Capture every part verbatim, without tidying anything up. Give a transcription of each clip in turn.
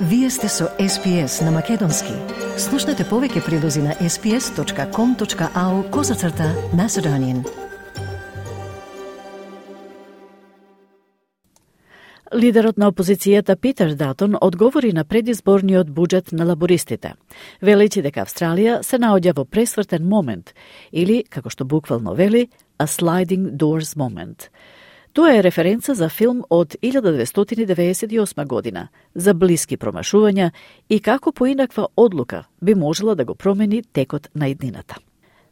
Вие сте со Ес Пи Ес на Македонски. Слушнете повеќе прилози на ес пи ес точка ком точка ау козацрта Macedonian. Лидерот на опозицијата Питер Датон одговори на предизборниот буџет на лабористите, велејќи дека Австралија се наоѓа во пресвртен момент или, како што буквално вели, a sliding doors moment. Тоа е референца за филм од илјада деветстотини деветдесет и осма година за блиски промашувања и како поинаква одлука би можела да го промени текот на иднината.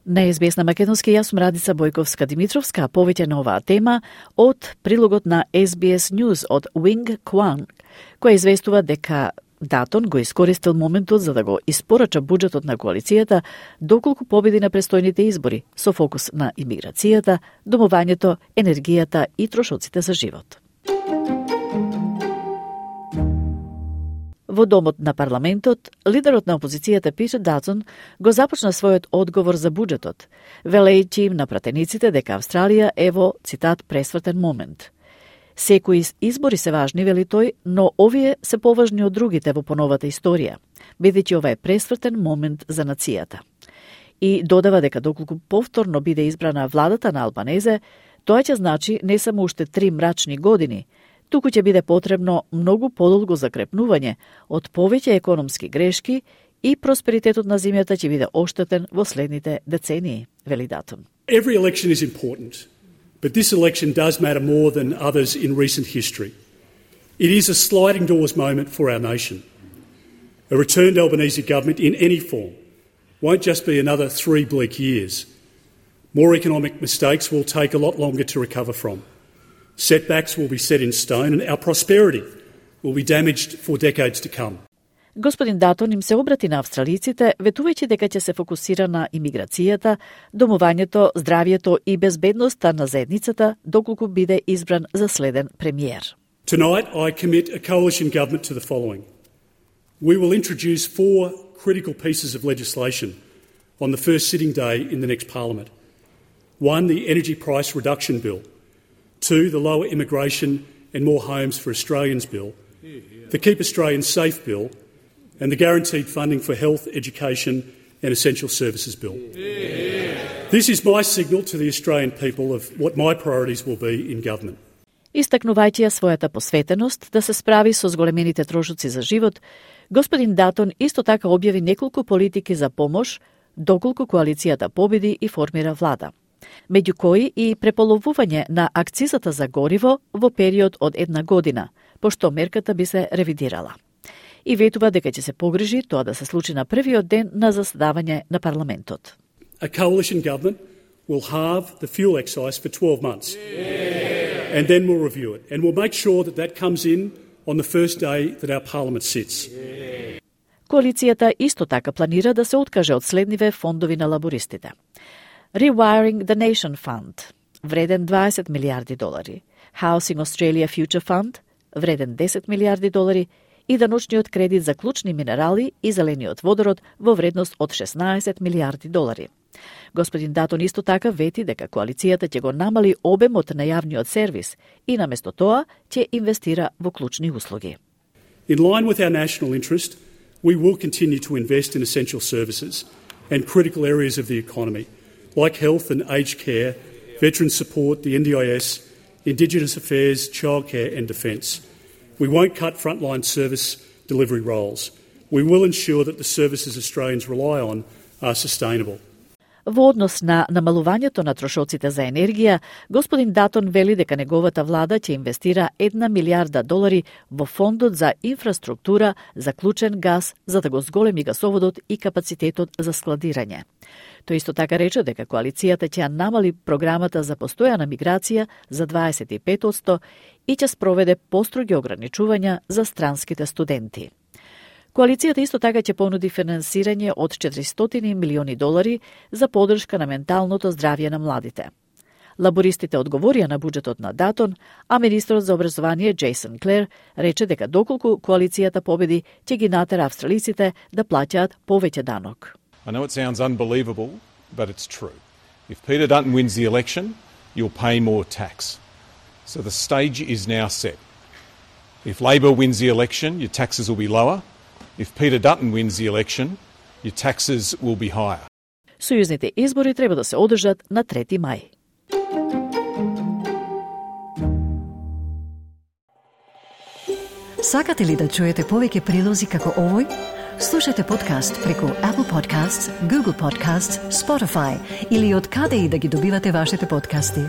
На Ес Би Ес на Македонски, јас сум Радица Бојковска-Димитровска, повеќе на оваа тема од прилогот на Ес Би Ес News од Wing Kwang, која известува дека Датон го искористил моментот за да го испорача буџетот на коалицијата доколку победи на престојните избори со фокус на имиграцијата, домувањето, енергијата и трошоците за живот. Во домот на парламентот, лидерот на опозицијата Питер Датон го започна својот одговор за буџетот, велејќи им на пратениците дека Австралија е во, цитат, пресвртен момент. Секои избори се важни, вели тој, но овие се поважни од другите во поновата историја, бидејќи ова е пресвртен момент за нацијата. И додава дека доколку повторно биде избрана владата на Албанезе, тоа ќе значи не само уште три мрачни години, туку ќе биде потребно многу подолго закрепнување од повеќе економски грешки и просперитетот на земјата ќе биде оштетен во следните децении, вели Датон. Every election is important. But this election does matter more than others in recent history. It is a sliding doors moment for our nation. A returned Albanese government in any form won't just be another three bleak years. More economic mistakes will take a lot longer to recover from. Setbacks will be set in stone and our prosperity will be damaged for decades to come. Господин Датон им се обрати на австралиците, ветувајќи дека ќе се фокусира на имиграцијата, домувањето, здравјето и безбедноста на заедницата, доколку биде избран за следен премиер. Tonight I commit a coalition government to the following. We will introduce four critical pieces of legislation on the first sitting day in the next parliament. One, the Energy Price Reduction Bill. Two, the Lower Immigration and More Homes for Australians Bill. The Keep Australians Safe Bill. And the Guaranteed Funding for Health, Education and Essential Services Bill. Yeah. This is my signal to the Australian people of what my priorities will be in government. Истакнувајќи ја својата посветеност да се справи со зголемените трошоци за живот, господин Датон исто така објави неколку политики за помош доколку коалицијата победи и формира влада, меѓу кои и преполовување на акцизата за гориво во период од една година, пошто мерката би се ревидирала. И ветува дека ќе се погрижи тоа да се случи на првиот ден на заседавање на парламентот. A coalition government will halve the fuel excise for twelve months. Yeah. And then we'll review it. And we'll make sure that that comes in on the first day that our parliament sits. Yeah. Коалицијата исто така планира да се откаже од следниве фондови на лабористите. Rewiring the Nation Fund, вреден дваесет милиарди долари. Housing Australia Future Fund, вреден десет милиарди долари, и даночниот кредит за клучни минерали и зелениот водород во вредност од шеснаесет милиарди долари. Господин Датон исто така вети дека коалицијата ќе го намали обемот на јавниот сервис и наместо тоа ќе инвестира во клучни услуги. In line with our national interest, we will continue to invest in essential services and critical areas of the economy, like health and aged care, veteran support, the N D I S, Indigenous affairs, childcare and defence. We won't cut frontline service delivery roles. We will ensure that the services Australians rely on are sustainable. Во однос на намалувањето на трошоците за енергија, господин Датон вели дека неговата влада ќе инвестира една милиарда долари во фондот за инфраструктура за клучен газ за да го зголеми гасоводот и капацитетот за складирање. Тој исто така рече дека коалицијата ќе намали програмата за постојана миграција за дваесет и пет одсто и ќе спроведе построги ограничувања за странските студенти. Коалицијата исто така ќе понуди финансирање од четиристотини милиони долари за поддршка на менталното здравје на младите. Лабористите одговорија на буџетот на Датон, а министрот за образование Джейсон Клер рече дека доколку коалицијата победи, ќе ги натера австралиците да плаќаат повеќе данок. I know it sounds unbelievable, but it's true. If Peter Dutton wins the election, you'll pay more tax. So the stage is now set. If Labor wins the election, your taxes will be lower. If Peter Dutton wins the election, your taxes will be higher. Сојузните избори треба да се одржат на трети мај. Сакате ли да чуете повеќе прилози како овој? Слушате подкаст преку Apple Podcasts, Google Podcasts, Spotify или од каде и да ги добивате вашите подкасти.